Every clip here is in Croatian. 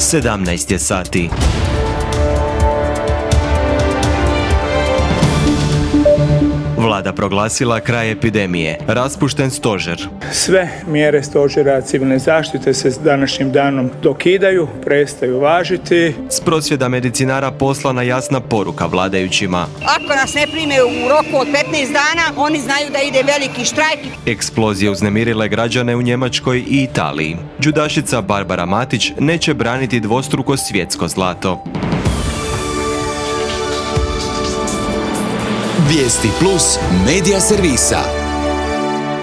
17 je sati. Vlada proglasila kraj epidemije, raspušten stožer. Sve mjere stožera civilne zaštite se s današnjim danom dokidaju, prestaju važiti. S prosvjeda medicinara poslana jasna poruka vladajućima. Ako nas ne prime u roku od 15 dana, oni znaju da ide veliki štrajk. Eksplozije uznemirile građane u Njemačkoj i Italiji. Džudašica Barbara Matić neće braniti dvostruko svjetsko zlato. Vijesti plus medija servisa.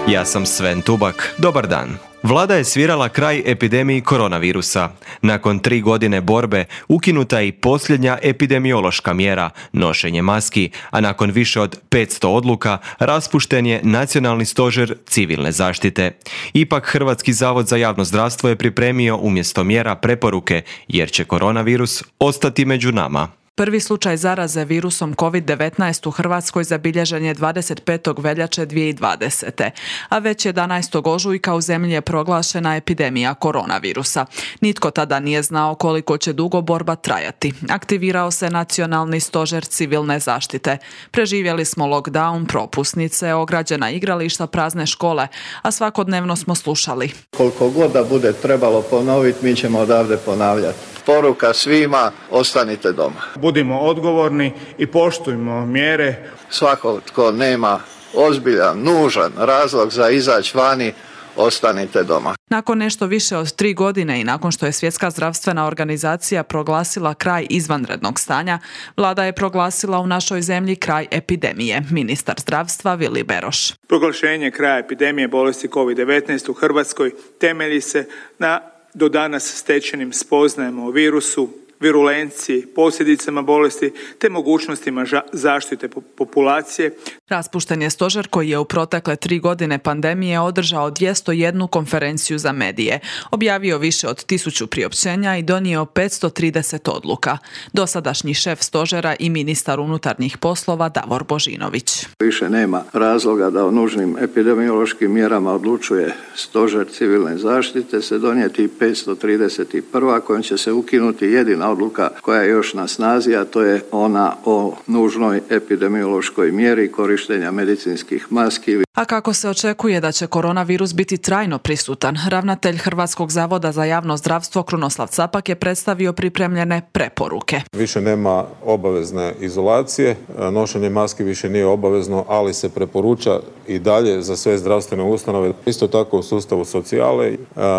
Ja sam Sven Tubak. Dobar dan. Vlada je svirala kraj epidemiji koronavirusa. Nakon 3 godine borbe ukinuta je i posljednja epidemiološka mjera, nošenje maski, a nakon više od 500 odluka raspušten je Nacionalni stožer civilne zaštite. Ipak Hrvatski zavod za javno zdravstvo je pripremio umjesto mjera preporuke, jer će koronavirus ostati među nama. Prvi slučaj zaraze virusom COVID-19 u Hrvatskoj zabilježen je 25. veljače 2020. A već 11. ožujka u zemlji je proglašena epidemija koronavirusa. Nitko tada nije znao koliko će dugo borba trajati. Aktivirao se Nacionalni stožer civilne zaštite. Preživjeli smo lockdown, propusnice, ograđena igrališta, prazne škole, a svakodnevno smo slušali. Koliko god da bude trebalo ponoviti, mi ćemo odavde ponavljati. Poruka svima, ostanite doma. Budimo odgovorni i poštujmo mjere. Svako tko nema ozbiljan, nužan razlog za izaći vani, ostanite doma. Nakon nešto više od 3 godine i nakon što je Svjetska zdravstvena organizacija proglasila kraj izvanrednog stanja, Vlada je proglasila u našoj zemlji kraj epidemije. Ministar zdravstva Vili Beroš. Proglašenje kraja epidemije bolesti COVID-19 u Hrvatskoj temelji se na do danas stečenim spoznajama o virusu, virulenciji, posljedicama bolesti te mogućnostima zaštite populacije. Raspušten je stožer koji je u protekle 3 godine pandemije održao 201 konferenciju za medije, objavio više od 1000 priopćenja i donio 530 odluka. Dosadašnji šef stožera i ministar unutarnjih poslova Davor Božinović. Više nema razloga da o nužnim epidemiološkim mjerama odlučuje stožer civilne zaštite, se donijeti 531. kojom će se ukinuti jedina odluka koja je još na snazi, a to je ona o nužnoj epidemiološkoj mjeri korištenja medicinskih maski. A kako se očekuje da će koronavirus biti trajno prisutan, ravnatelj Hrvatskog zavoda za javno zdravstvo Krunoslav Capak je predstavio pripremljene preporuke. Više nema obavezne izolacije, nošenje maski više nije obavezno, ali se preporuča i dalje za sve zdravstvene ustanove. Isto tako u sustavu socijale.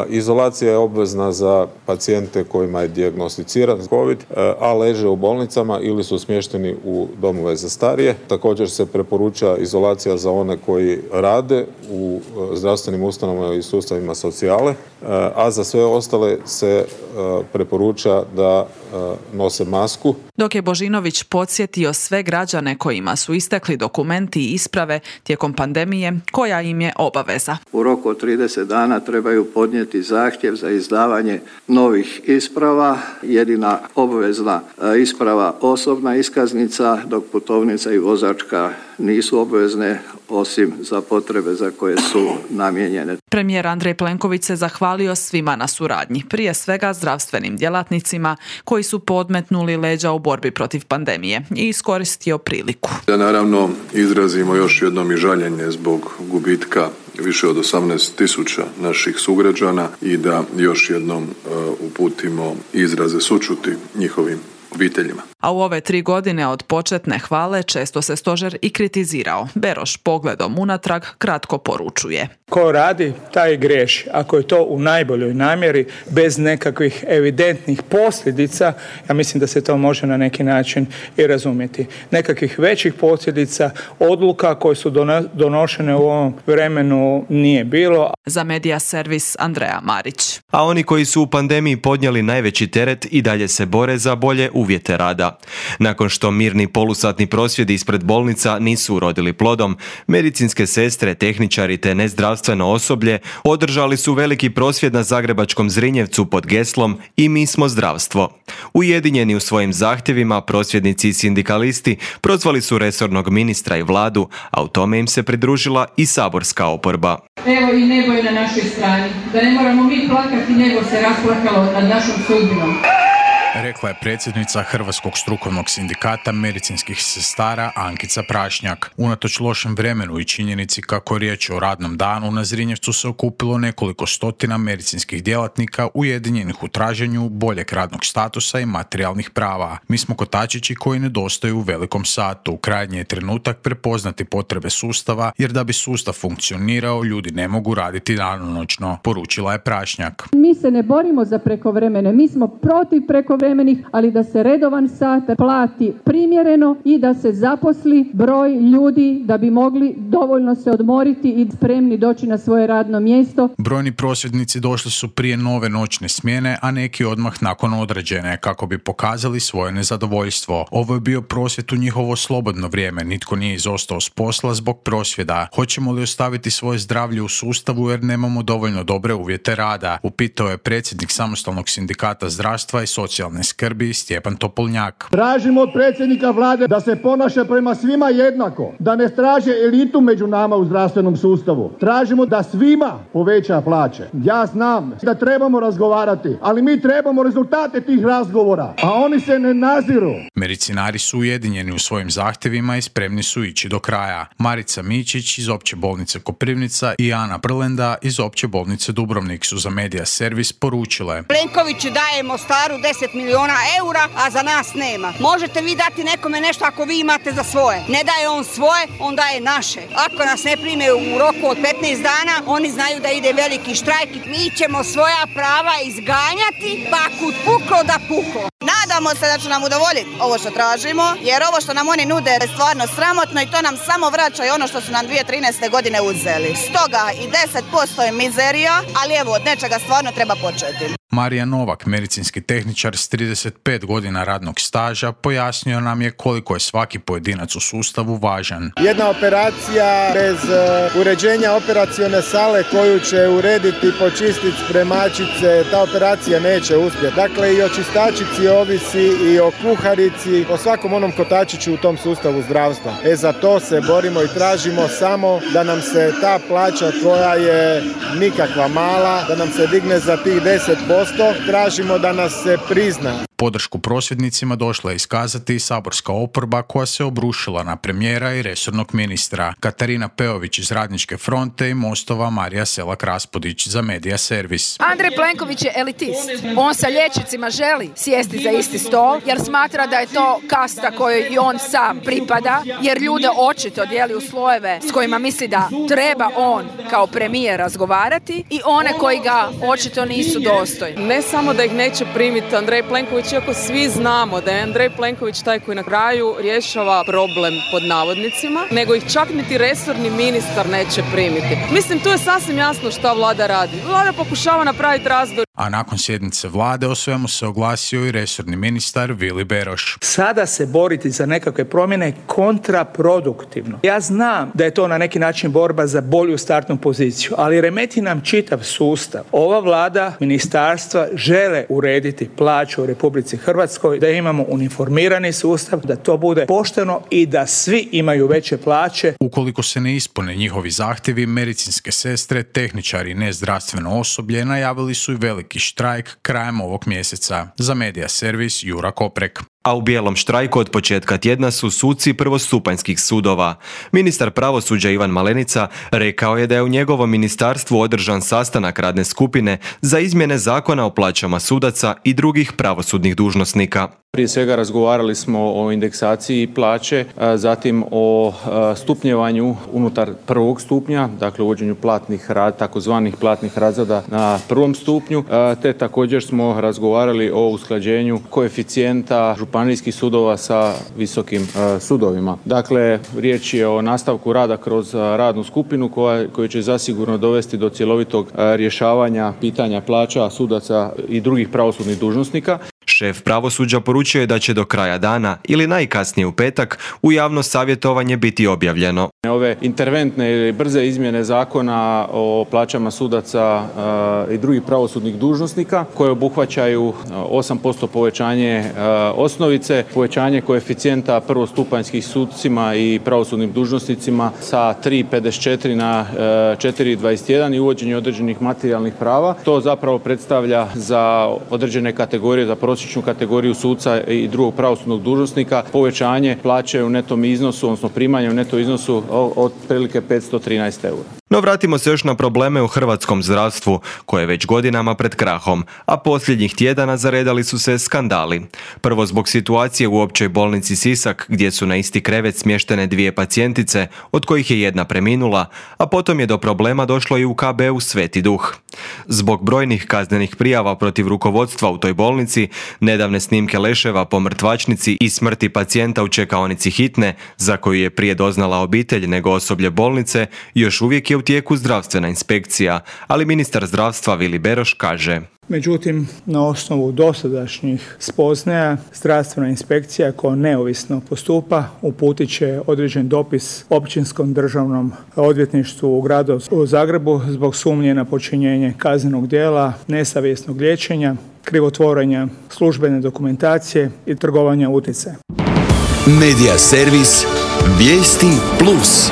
Izolacija je obvezna za pacijente kojima je dijagnosticiran COVID, a leže u bolnicama ili su smješteni u domove za starije. Također se preporuča izolacija za one koji rade u zdravstvenim ustanovama i sustavima socijale, a za sve ostale se preporuča da nose masku. Dok je Božinović podsjetio sve građane kojima su istekli dokumenti i isprave tijekom pandemije, koja im je obaveza. U roku od 30 dana trebaju podnijeti zahtjev za izdavanje novih isprava. Jedina obvezna isprava osobna iskaznica, dok putovnica i vozačka nisu obvezne osim za potrebe za koje su namijenjene. Premijer Andrej Plenković se zahvalio svima na suradnji, prije svega zdravstvenim djelatnicima koji su podmetnuli leđa u borbi protiv pandemije i iskoristio priliku. Da naravno izrazimo još jednom i žaljenje zbog gubitka više od 18.000 naših sugrađana i da još jednom uputimo izraze sućuti njihovim obiteljima. A u ove 3 godine od početne hvale često se stožer i kritizirao. Beroš pogledom unatrag kratko poručuje. Ko radi, taj griješi. Ako je to u najboljoj namjeri, bez nekakvih evidentnih posljedica, ja mislim da se to može na neki način i razumjeti. Nekakvih većih posljedica, odluka koje su donošene u ovom vremenu nije bilo. Za Medija servis Andreja Marić. A oni koji su u pandemiji podnijeli najveći teret i dalje se bore za bolje uvjete rada. suda. Nakon što mirni polusatni prosvjedi ispred bolnica nisu urodili plodom, medicinske sestre, tehničari te nezdravstveno osoblje održali su veliki prosvjed na zagrebačkom Zrinjevcu pod geslom "I mi smo zdravstvo". Ujedinjeni u svojim zahtjevima, prosvjednici i sindikalisti prozvali su resornog ministra i vladu, a u tome im se pridružila i saborska oporba. Evo i nebo je na našoj strani, da ne moramo mi plakati, nebo se rasplakalo nad našom sudbinom. Rekla je predsjednica Hrvatskog strukovnog sindikata medicinskih sestara Ankica Prašnjak. Unatoč lošem vremenu i činjenici kako riječ o radnom danu, na Zrinjevcu se okupilo nekoliko stotina medicinskih djelatnika ujedinjenih u traženju boljeg radnog statusa i materijalnih prava. Mi smo kotačići koji nedostaju u velikom satu. Krajnji je trenutak prepoznati potrebe sustava, jer da bi sustav funkcionirao, ljudi ne mogu raditi danonoćno, poručila je Prašnjak. Mi se ne borimo za prekovremene, mi smo protiv prekovremenih, ali da se redovan sat plati primjereno i da se zaposli broj ljudi da bi mogli dovoljno se odmoriti i spremni doći na svoje radno mjesto. Brojni prosvjednici došli su prije nove noćne smjene, a neki odmah nakon određene, kako bi pokazali svoje nezadovoljstvo. Ovo je bio prosvjed u njihovo slobodno vrijeme, nitko nije izostao s posla zbog prosvjeda. Hoćemo li ostaviti svoje zdravlje u sustavu jer nemamo dovoljno dobre uvjete rada? Upitao je predsjednik Samostalnog sindikata zdravstva i socijalne skrbi Stjepan Topolnjak. Tražimo od predsjednika vlade da se ponaša prema svima jednako, da ne traže elitu među nama u zdravstvenom sustavu. Tražimo da svima poveća plaće. Ja znam da trebamo razgovarati, ali mi trebamo rezultate tih razgovora, a oni se ne naziru. Medicinari su ujedinjeni u svojim zahtjevima i spremni su ići do kraja. Marica Mičić iz Opće bolnice Koprivnica i Ana Brlenda iz Opće bolnice Dubrovnik su za Medija Servis poručile: Plenkoviću daje Mostaru 10 milijuna eura, a za nas nema. Možete vi dati nekome nešto ako vi imate za svoje. Ne daje on svoje, on daje naše. Ako nas ne prime u roku od 15 dana, oni znaju da ide veliki štrajk. Mi ćemo svoja prava izganjati, pa kud puklo da puklo. Nadamo se da će nam udovoljiti ovo što tražimo, jer ovo što nam oni nude je stvarno sramotno i to nam samo vraća i ono što su nam 2013. godine uzeli. Stoga i 10% je mizerija, ali evo, od nečega stvarno treba početi. Marija Novak, medicinski tehničar s 35 godina radnog staža, pojasnio nam je koliko je svaki pojedinac u sustavu važan. Jedna operacija bez uređenja operacione sale koju će urediti, počistiti spremačice, ta operacija neće uspjeti. Dakle, i o čistačici ovisi, i o kuharici, o svakom onom kotačiću u tom sustavu zdravstva. Za to se borimo i tražimo samo da nam se ta plaća koja je nikakva mala, da nam se digne za tih 10%. Tražimo da nas se prizna. Podršku prosvjednicima došla je iskazati i saborska oporba koja se obrušila na premijera i resornog ministra. Katarina Peović iz Radničke fronte i Mostova Marija Selak-Raspudić za Medija Servis. Andrej Plenković je elitist. On sa liječnicima želi sjesti za isti stol jer smatra da je to kasta kojoj i on sam pripada, jer ljude očito dijeli u slojeve s kojima misli da treba on kao premijer razgovarati i one koji ga očito nisu dostojni. Ne samo da ih neće primiti Andrej Plenković, iako svi znamo da je Andrej Plenković taj koji na kraju rješava problem pod navodnicima, nego ih čak niti resorni ministar neće primiti. Mislim, tu je sasvim jasno šta vlada radi. Vlada pokušava napraviti razdor. A nakon sjednice vlade o svemu se oglasio i resorni ministar Vili Beroš. Sada se boriti za nekakve promjene je kontraproduktivno. Ja znam da je to na neki način borba za bolju startnu poziciju, ali remeti nam čitav sustav. Ova vlada, ministarstva žele urediti plaću u Republici Hrvatskoj, da imamo uniformirani sustav, da to bude pošteno i da svi imaju veće plaće. Ukoliko se ne ispune njihovi zahtjevi, medicinske sestre, tehničari i nezdravstveno osoblje najavili su i veliki štrajk krajem ovog mjeseca. Za Medija Servis Jura Koprek. A u bijelom štrajku od početka tjedna su suci prvostupanjskih sudova. Ministar pravosuđa Ivan Malenica rekao je da je u njegovom ministarstvu održan sastanak radne skupine za izmjene zakona o plaćama sudaca i drugih pravosudnih dužnosnika. Prije svega razgovarali smo o indeksaciji plaće, zatim o stupnjevanju unutar prvog stupnja, dakle uvođenju takozvanih platnih razreda na prvom stupnju, te također smo razgovarali o usklađenju koeficijenta županijskih sudova sa visokim sudovima. Dakle, riječ je o nastavku rada kroz radnu skupinu koja će zasigurno dovesti do cjelovitog rješavanja pitanja plaća sudaca i drugih pravosudnih dužnosnika. Šef pravosuđa poručio je da će do kraja dana ili najkasnije u petak u javno savjetovanje biti objavljeno. Ove interventne ili brze izmjene zakona o plaćama sudaca i drugih pravosudnih dužnosnika koje obuhvaćaju 8% povećanje osnovice, povećanje koeficijenta prvostupanjskih sucima i pravosudnim dužnosnicima sa 3,54 na 4,21 i uvođenje određenih materijalnih prava. To zapravo predstavlja za određene kategorije, za prosječnu kategoriju suca i drugog pravosudnog dužnosnika povećanje plaće u netom iznosu, odnosno primanje u neto iznosu od prilike 513 eura. No vratimo se još na probleme u hrvatskom zdravstvu, koje je već godinama pred krahom, a posljednjih tjedana zaredali su se skandali. Prvo zbog situacije u općoj bolnici Sisak, gdje su na isti krevet smještene 2 pacijentice, od kojih je jedna preminula, a potom je do problema došlo i u KB-u Sveti Duh. Zbog brojnih kaznenih prijava protiv rukovodstva u toj bolnici, nedavne snimke leševa po mrtvačnici i smrti pacijenta u čekaonici hitne, za koju je prije doznala obitelj nego osoblje bolnice, još uvijek je u tijeku zdravstvena inspekcija, ali ministar zdravstva Vili Beroš kaže: Međutim, na osnovu dosadašnjih spoznaja, zdravstvena inspekcija koja neovisno postupa uputit će određen dopis Općinskom državnom odvjetništvu u gradu Zagrebu zbog sumnje na počinjenje kaznenog djela, nesavjesnog liječenja, krivotvorenja službene dokumentacije i trgovanja utjecajem. Medija servis Vijesti Plus.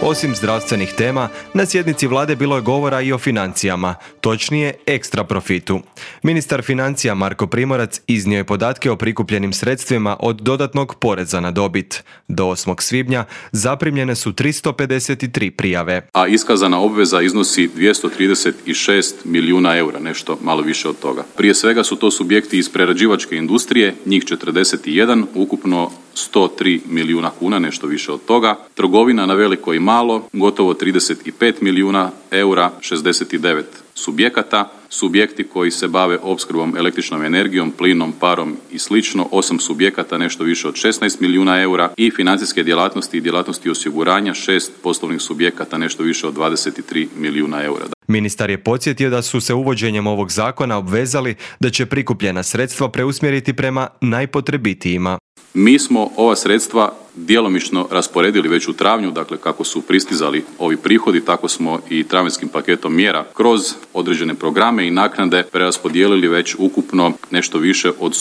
Osim zdravstvenih tema, na sjednici vlade bilo je govora i o financijama, točnije ekstra profitu. Ministar financija Marko Primorac iznio je podatke o prikupljenim sredstvima od dodatnog poreza na dobit. Do 8. svibnja zaprimljene su 353 prijave. A iskazana obveza iznosi 236 milijuna eura, nešto malo više od toga. Prije svega su to subjekti iz prerađivačke industrije, njih 41, ukupno 103 milijuna kuna, nešto više od toga. Trgovina na veliko i malo, gotovo 35 milijuna eura, 69 subjekata. Subjekti koji se bave opskrbom električnom energijom, plinom, parom i slično, 8 subjekata, nešto više od 16 milijuna eura i financijske djelatnosti i djelatnosti osiguranja, 6 poslovnih subjekata, nešto više od 23 milijuna eura. Ministar je podsjetio da su se uvođenjem ovog zakona obvezali da će prikupljena sredstva preusmjeriti prema najpotrebitijima. Mi smo ova sredstva djelomično rasporedili već u travnju, dakle kako su pristizali ovi prihodi, tako smo i travanjskim paketom mjera kroz određene programe i naknade preraspodijelili već ukupno nešto više od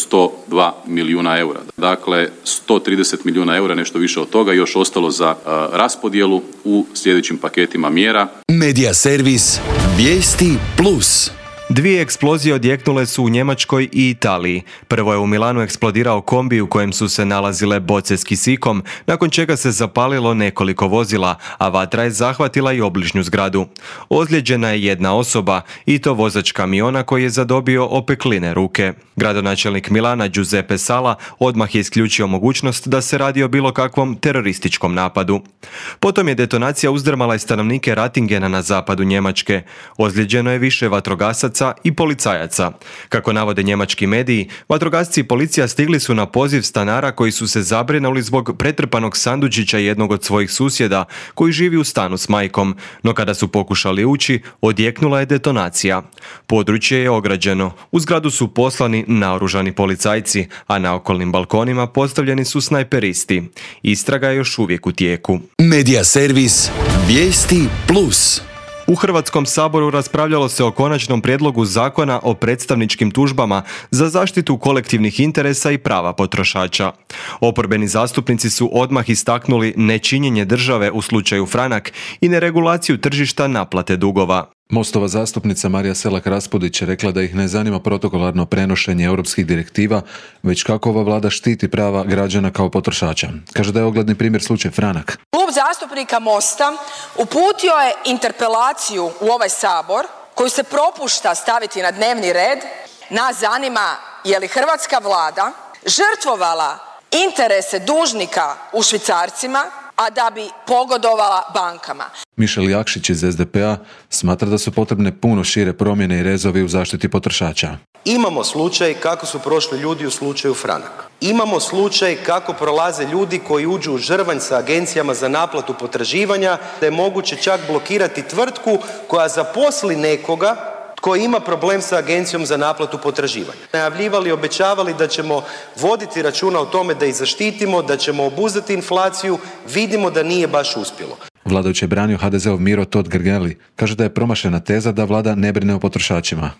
102 milijuna eura. Dakle, 130 milijuna eura, nešto više od toga, još ostalo za raspodjelu u sljedećim paketima mjera. Medija servis Vijesti Plus. 2 eksplozije odjeknule su u Njemačkoj i Italiji. Prvo je u Milanu eksplodirao kombi u kojem su se nalazile boce s kisikom, nakon čega se zapalilo nekoliko vozila, a vatra je zahvatila i obližnju zgradu. Ozlijeđena je jedna osoba, i to vozač kamiona koji je zadobio opekline ruke. Gradonačelnik Milana Giuseppe Sala odmah je isključio mogućnost da se radi o bilo kakvom terorističkom napadu. Potom je detonacija uzdrmala i stanovnike Rattingena na zapadu Njemačke. Ozlijeđeno je više vatrogasaca i policajaca. Kako navode njemački mediji, vatrogasci i policija stigli su na poziv stanara koji su se zabrinuli zbog pretrpanog sandučića jednog od svojih susjeda koji živi u stanu s majkom, no kada su pokušali ući, odjeknula je detonacija. Područje je ograđeno. U zgradu su poslani naoružani policajci, a na okolnim balkonima postavljeni su snajperisti. Istraga je još uvijek u tijeku. Medija servis Vijesti Plus. U Hrvatskom saboru raspravljalo se o konačnom prijedlogu zakona o predstavničkim tužbama za zaštitu kolektivnih interesa i prava potrošača. Oporbeni zastupnici su odmah istaknuli nečinjenje države u slučaju Franak i neregulaciju tržišta naplate dugova. Mostova zastupnica Marija Selak-Raspudić je rekla da ih ne zanima protokolarno prenošenje europskih direktiva, već kako ova vlada štiti prava građana kao potrošača. Kaže da je ogledni primjer slučaj Franak. Klub zastupnika Mosta uputio je interpelaciju u ovaj sabor koju se propušta staviti na dnevni red. Nas zanima je li hrvatska vlada žrtvovala interese dužnika u švicarcima, a da bi pogodovala bankama. Mišel Jakšić iz SDP-a smatra da su potrebne puno šire promjene i rezovi u zaštiti potrošača. Imamo slučaj kako su prošli ljudi u slučaju Franak. Imamo slučaj kako prolaze ljudi koji uđu u žrvanj sa agencijama za naplatu potraživanja, da je moguće čak blokirati tvrtku koja zaposli nekoga koji ima problem sa agencijom za naplatu potraživanja. Najavljivali, obećavali da ćemo voditi računa o tome da ih zaštitimo, da ćemo obuzdati inflaciju, vidimo da nije baš uspjelo. Vladajući je branio HDZ-ov Miro Totgergeli. Kaže da je promašena teza da vlada ne brine o potrošačima.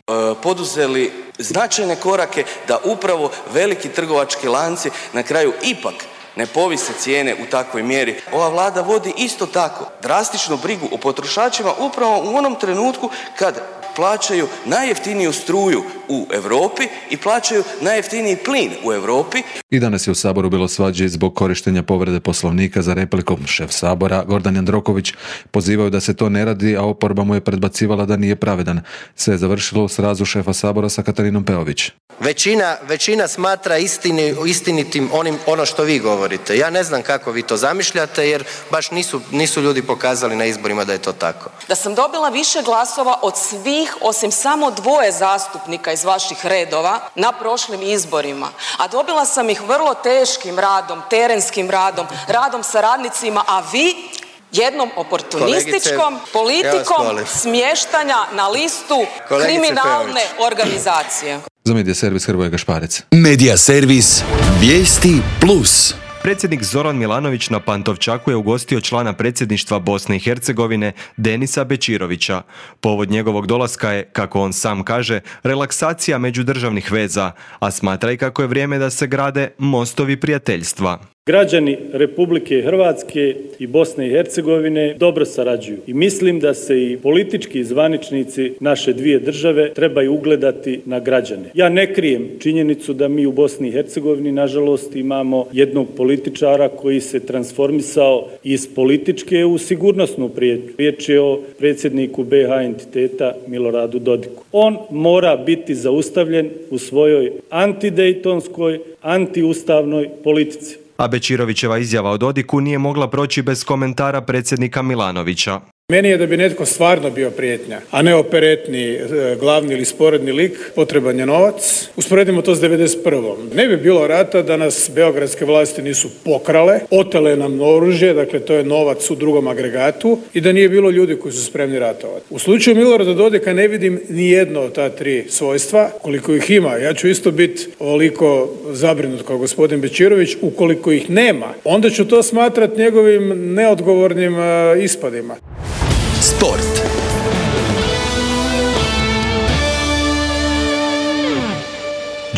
Poduzeli značajne korake da upravo veliki trgovački lanci na kraju ipak ne povise cijene u takvoj mjeri. Ova vlada vodi isto tako drastičnu brigu o potrošačima upravo u onom trenutku kad plaćaju najjeftiniju struju u Europi i plaćaju najjeftiniji plin u Europi. I danas je u Saboru bilo svađe zbog korištenja povrede Poslovnika za repliku. Šef Sabora, Gordan Jandroković, pozivao da se to ne radi, a oporba mu je predbacivala da nije pravedan. Sve je završilo u srazu šefa Sabora sa Katarinom Peović. Većina smatra istinitim ono što vi govorite. Ja ne znam kako vi to zamišljate, jer baš nisu ljudi pokazali na izborima da je to tako. Da sam dobila više glasova od svih osim samo 2 zastupnika iz vaših redova na prošlim izborima, a dobila sam ih vrlo teškim radom, terenskim radom, radom sa radnicima, a vi jednom oportunističkom politikom smještanja na listu kriminalne organizacije. Za Medija servis Hrvoje Gašparec. Medija servis Vijesti Plus. Predsjednik Zoran Milanović na Pantovčaku je ugostio člana predsjedništva Bosne i Hercegovine Denisa Bečirovića. Povod njegovog dolaska je, kako on sam kaže, relaksacija međudržavnih veza, a smatra i kako je vrijeme da se grade mostovi prijateljstva. Građani Republike Hrvatske i Bosne i Hercegovine dobro sarađuju i mislim da se i politički zvaničnici naše dvije države trebaju ugledati na građane. Ja ne krijem činjenicu da mi u Bosni i Hercegovini nažalost imamo jednog političara koji se transformisao iz političke u sigurnosnu prijetnju. Riječ je o predsjedniku BiH entiteta Miloradu Dodiku. On mora biti zaustavljen u svojoj antidejtonskoj, antiustavnoj politici. A Bečirovićeva izjava o Dodiku nije mogla proći bez komentara predsjednika Milanovića. Meni je da bi netko stvarno bio prijetnja, a ne operetni glavni ili sporedni lik, potreban je novac. Usporedimo to s 91. Ne bi bilo rata da nas beogradske vlasti nisu pokrale, otele nam oružje, dakle to je novac u drugom agregatu, i da nije bilo ljudi koji su spremni ratovati. U slučaju Milorada Dodika ne vidim ni jedno od ta 3 svojstva, koliko ih ima. Ja ću isto biti ovoliko zabrinut kao gospodin Bečirović. Ukoliko ih nema, onda ću to smatrati njegovim neodgovornim ispadima. Sport.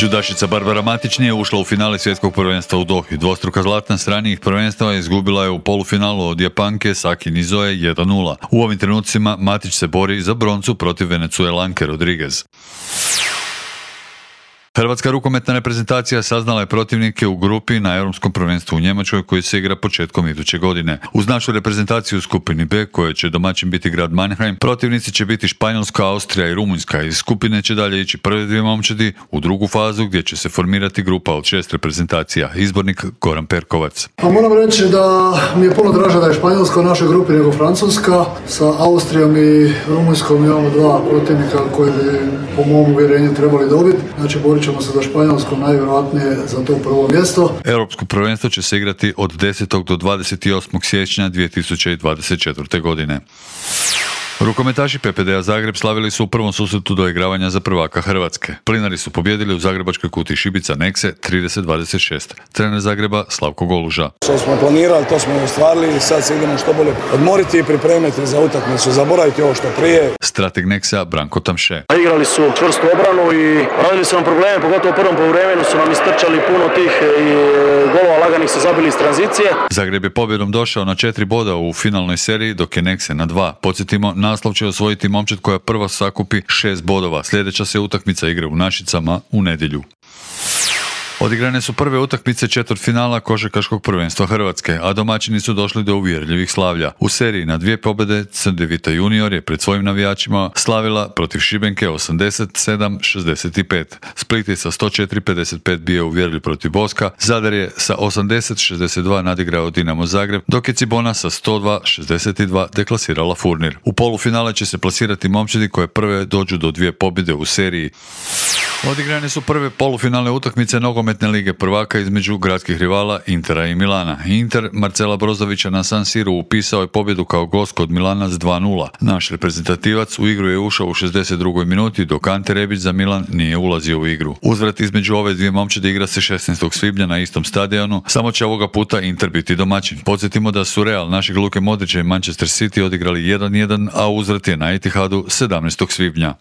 Judašica Barbara Matić nije ušla u finale svjetskog prvenstva u Dohi. Dvostruka zlatna s ranijih prvenstava izgubila je u polufinalu od Japanke Saki Nizoe 1:0. U ovim trenucima Matić se bori za broncu protiv Venecuelanke Rodriguez. Hrvatska rukometna reprezentacija saznala je protivnike u grupi na Europskom prvenstvu u Njemačkoj koji se igra početkom iduće godine. Uz našu reprezentaciju u skupini B, koje će domaćin biti grad Mannheim, protivnici će biti Španjolska, Austrija i Rumunjska. Iz skupine će dalje ići prve 2 momčadi u drugu fazu gdje će se formirati grupa od 6 reprezentacija. Izbornik Goran Perkovac. Moram reći da mi je puno draže da je Španjolska u našoj grupi nego Francuska. Sa Austrijom i Rumunjskom imamo 2 protivnika koji bi po mom uvjerenju trebali dobiti. Znači ćemo se za Španjolskom najvjerojatnije za to prvo mjesto. Europsko prvenstvo će se igrati od 10. do 28. siječnja 2024. godine. Rukometaši PPD-a Zagreb slavili su u prvom susretu doigravanja za prvaka Hrvatske. Plinari su pobjedili u zagrebačkoj kutiji Šibica Nekse 30-26. Trener Zagreba Slavko Goluža. Što smo planirali, to smo i ostvarili i sad se idemo što bolje odmoriti i pripremiti za utakmicu, zaboraviti ovo što prije. Strateg Neksa Branko Tamše. Igrali su čvrstu obranu i radili su nam probleme, pogotovo u prvom poluvremenu su nam istrčali puno tih i golova laganih su zabili iz tranzicije. Zagreb je pobjedom došao na 4 boda u finalnoj seriji, dok je Nekse na 2. Podsjetimo, naslov će osvojiti momčad koja prva sakupi 6 bodova. Sljedeća se utakmica igra u Našicama u nedjelju. Odigrane su prve utakmice četvrtfinala košarkaškog prvenstva Hrvatske, a domaćini su došli do uvjerljivih slavlja. U seriji na 2 pobjede Crndevita junior je pred svojim navijačima slavila protiv Šibenke 87-65. Split je sa 104-55 bio uvjerljiv protiv Boska, Zadar je sa 80-62 nadigrao Dinamo Zagreb, dok je Cibona sa 102-62 deklasirala Furnir. U polufinale će se plasirati momčadi koje prve dođu do 2 pobjede u seriji. Odigrane su prve polufinalne utakmice nogometne lige prvaka između gradskih rivala Intera i Milana. Inter Marcela Brozovića na San Siru upisao je pobjedu kao gost kod Milana s 2:0. Naš reprezentativac u igru je ušao u 62. minuti, dok Ante Rebić za Milan nije ulazio u igru. Uzvrat između ove dvije momčadi igra se 16. svibnja na istom stadionu, samo će ovoga puta Inter biti domaćin. Podsjetimo da su Real našeg Luke Modrića i Manchester City odigrali 1:1, a uzvrat je na Etihadu 17. svibnja.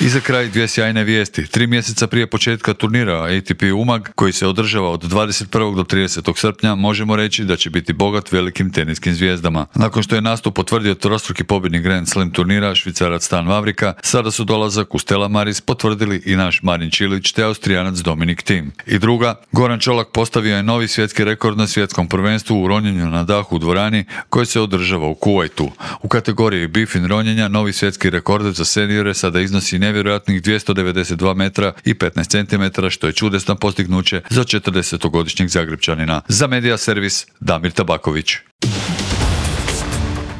I za kraj dvije sjajne vijesti. 3 mjeseca prije početka turnira ATP Umag, koji se održava od 21. do 30. srpnja, možemo reći da će biti bogat velikim teniskim zvijezdama. Nakon što je nastup potvrdio trostruki pobjednik Grand Slam turnira Švicarac Stan Wawrinka, sada su dolazak u Stella Maris potvrdili i naš Marin Čilić te Austrijanac Dominic Thiem. I druga, Goran Čolak postavio je novi svjetski rekord na svjetskom prvenstvu u ronjenju na dahu u dvorani koji se održava u Kuvajtu. U kategoriji bifin ronjenja novi svjetski rekord za seniore sada iznosi nevjerojatnih 292 metra i 15 centimetara, što je čudesno postignuće za 40-godišnjeg Zagrepčanina. Za Medija servis Damir Tabaković.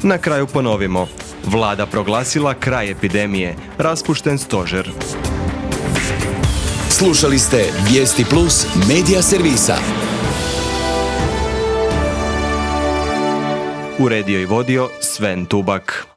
Na kraju ponovimo. Vlada proglasila kraj epidemije, raspušten stožer. Slušali ste Vijesti Plus Medija servisa. Uredio i vodio Sven Tubak.